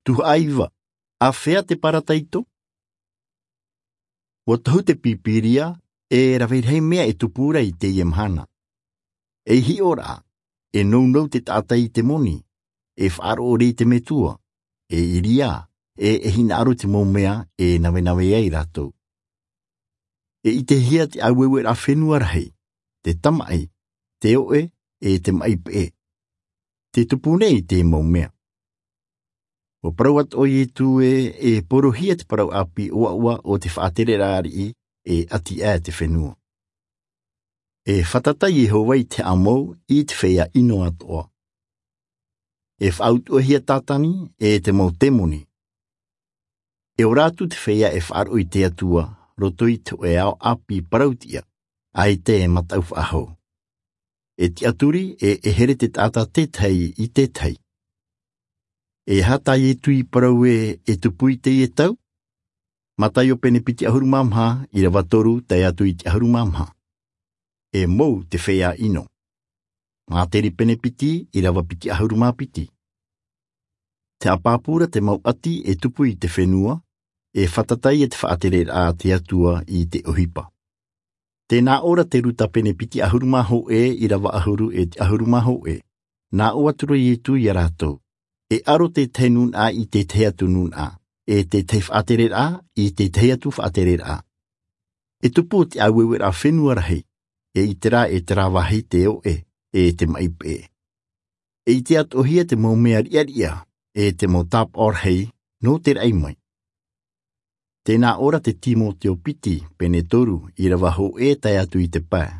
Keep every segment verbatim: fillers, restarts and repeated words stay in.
Tuhaʻa iva. Āfea te parataito? Ua tohu te pīpīria, e rave rahi mea e tupu ra i teie mahana. Ei hiʻoraʻa, e nounou te taʻata i te moni, e faʻaroʻo rē i te metua, e ʻiriā, e e hinaʻaro i te mau mea e navenave ai rātou. E ʻitehia te ʻaueueraʻa fenua rahi, te tamaʻi, te oʻe, e te maʻi peʻe. Te tupu nei te mau mea. Ua parau atoʻa iesu ē, e porohia te parau ʻāpī ʻoaʻoa o te faʻatereraʻa ariʻi, e ʻati aʻe te fenua. E fātata iehova i te haʻamou i te feiā ʻino atoʻa. E faʻautuʻahia satani, e te mau temoni. E ora atu te feiā e faʻaroʻo i te atua, roto i te hōʻē ao ʻāpī parau tiʻa, ʻaita e mataʻu faʻahou. E tiʻaturi, e e here te taʻata tētahi i tētahi. E aha tā iesu i parau ē, e tupu i teie tau? Mataio pene piti ʻahuru mā maha, ʻirava toru tae atu i te ʻahuru mā maha. E mou te feiā ʻino. Māteri pene piti, ʻirava piti ʻahuru mā piti. Te haʻapāpū ra te mau ʻati e tupu i te fenua, e fātata ia te faʻatereraʻa a te atua i te ʻohipa. Tē nā ʻō ra te luka pene piti ʻahuru mā hōʻē, ʻirava ʻahuru e te ʻahuru mā hōʻē. Nā ʻō atu ra iesu ia rātou, e aro tētahi nūnaʻa i tētahi atu nūnaʻa, e tētahi faʻatereraʻa i tētahi atu faʻatereraʻa. E tupu te ʻaueueraʻa fenua rahi, e ʻite rā e te rāvahi te oʻe, e te maʻi peʻe. E ʻite atoʻahia te mau mea riʻariʻa, e te mau tāpaʻo rahi, nō te raʻi mai. Tē nā ʻō ra te timoteo piti, pene toru, ʻirava hōʻē tae atu i te pae.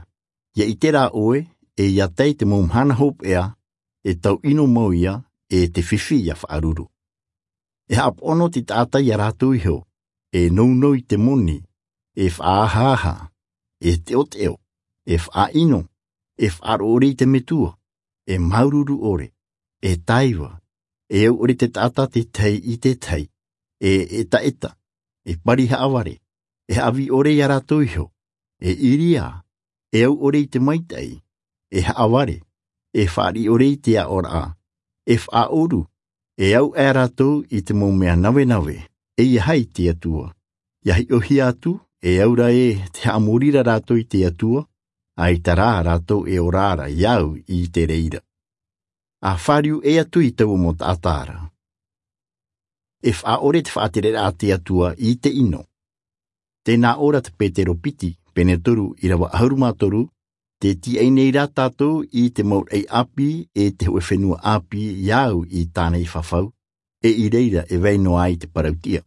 Ia ʻite rā ʻoe, e ia tae te mau mahana hopeʻa, e tau ʻino mau ia, e te fifi ia faʻaruru. E haʻapoʻono te taʻata ia rātou iho, e nounou i te moni, e faʻaahaaha, e teʻoteʻo, e faʻaʻino, e faʻaroʻo rē i te metua, e māuruuru ʻore, e taiva, e au ʻore te taʻata tētahi i tētahi, e ʻetaʻeta, e pari haʻavare, e haʻavī ʻore ia rātou iho, e ʻiriā, e au ʻore i te maitaʻi, e haʻavare, e fāriʻi ʻore i te aʻoraʻa, e faʻaʻoru, e au aʻe rātou i te mau mea navenave, e ʻeiaha i te atua. Ia hiʻohia atu, e au ra ē te haʻamori ra rātou i te atua, ʻaita rā rātou e ora ra ia au i te reira. A fāriu ʻē atu i taua mau taʻata ra. E faʻaʻore te faʻatereraʻa a te atua i te ʻino. Tē nā ʻō ra te petero piti, pene toru, ʻirava ʻahuru mā toru, tē tīaʻi nei rā tātou i te mau raʻi ʻāpī, e te hōʻē fenua ʻāpī ia au i tāna i fafau, e i reira e vai noa ai te parau tiʻa.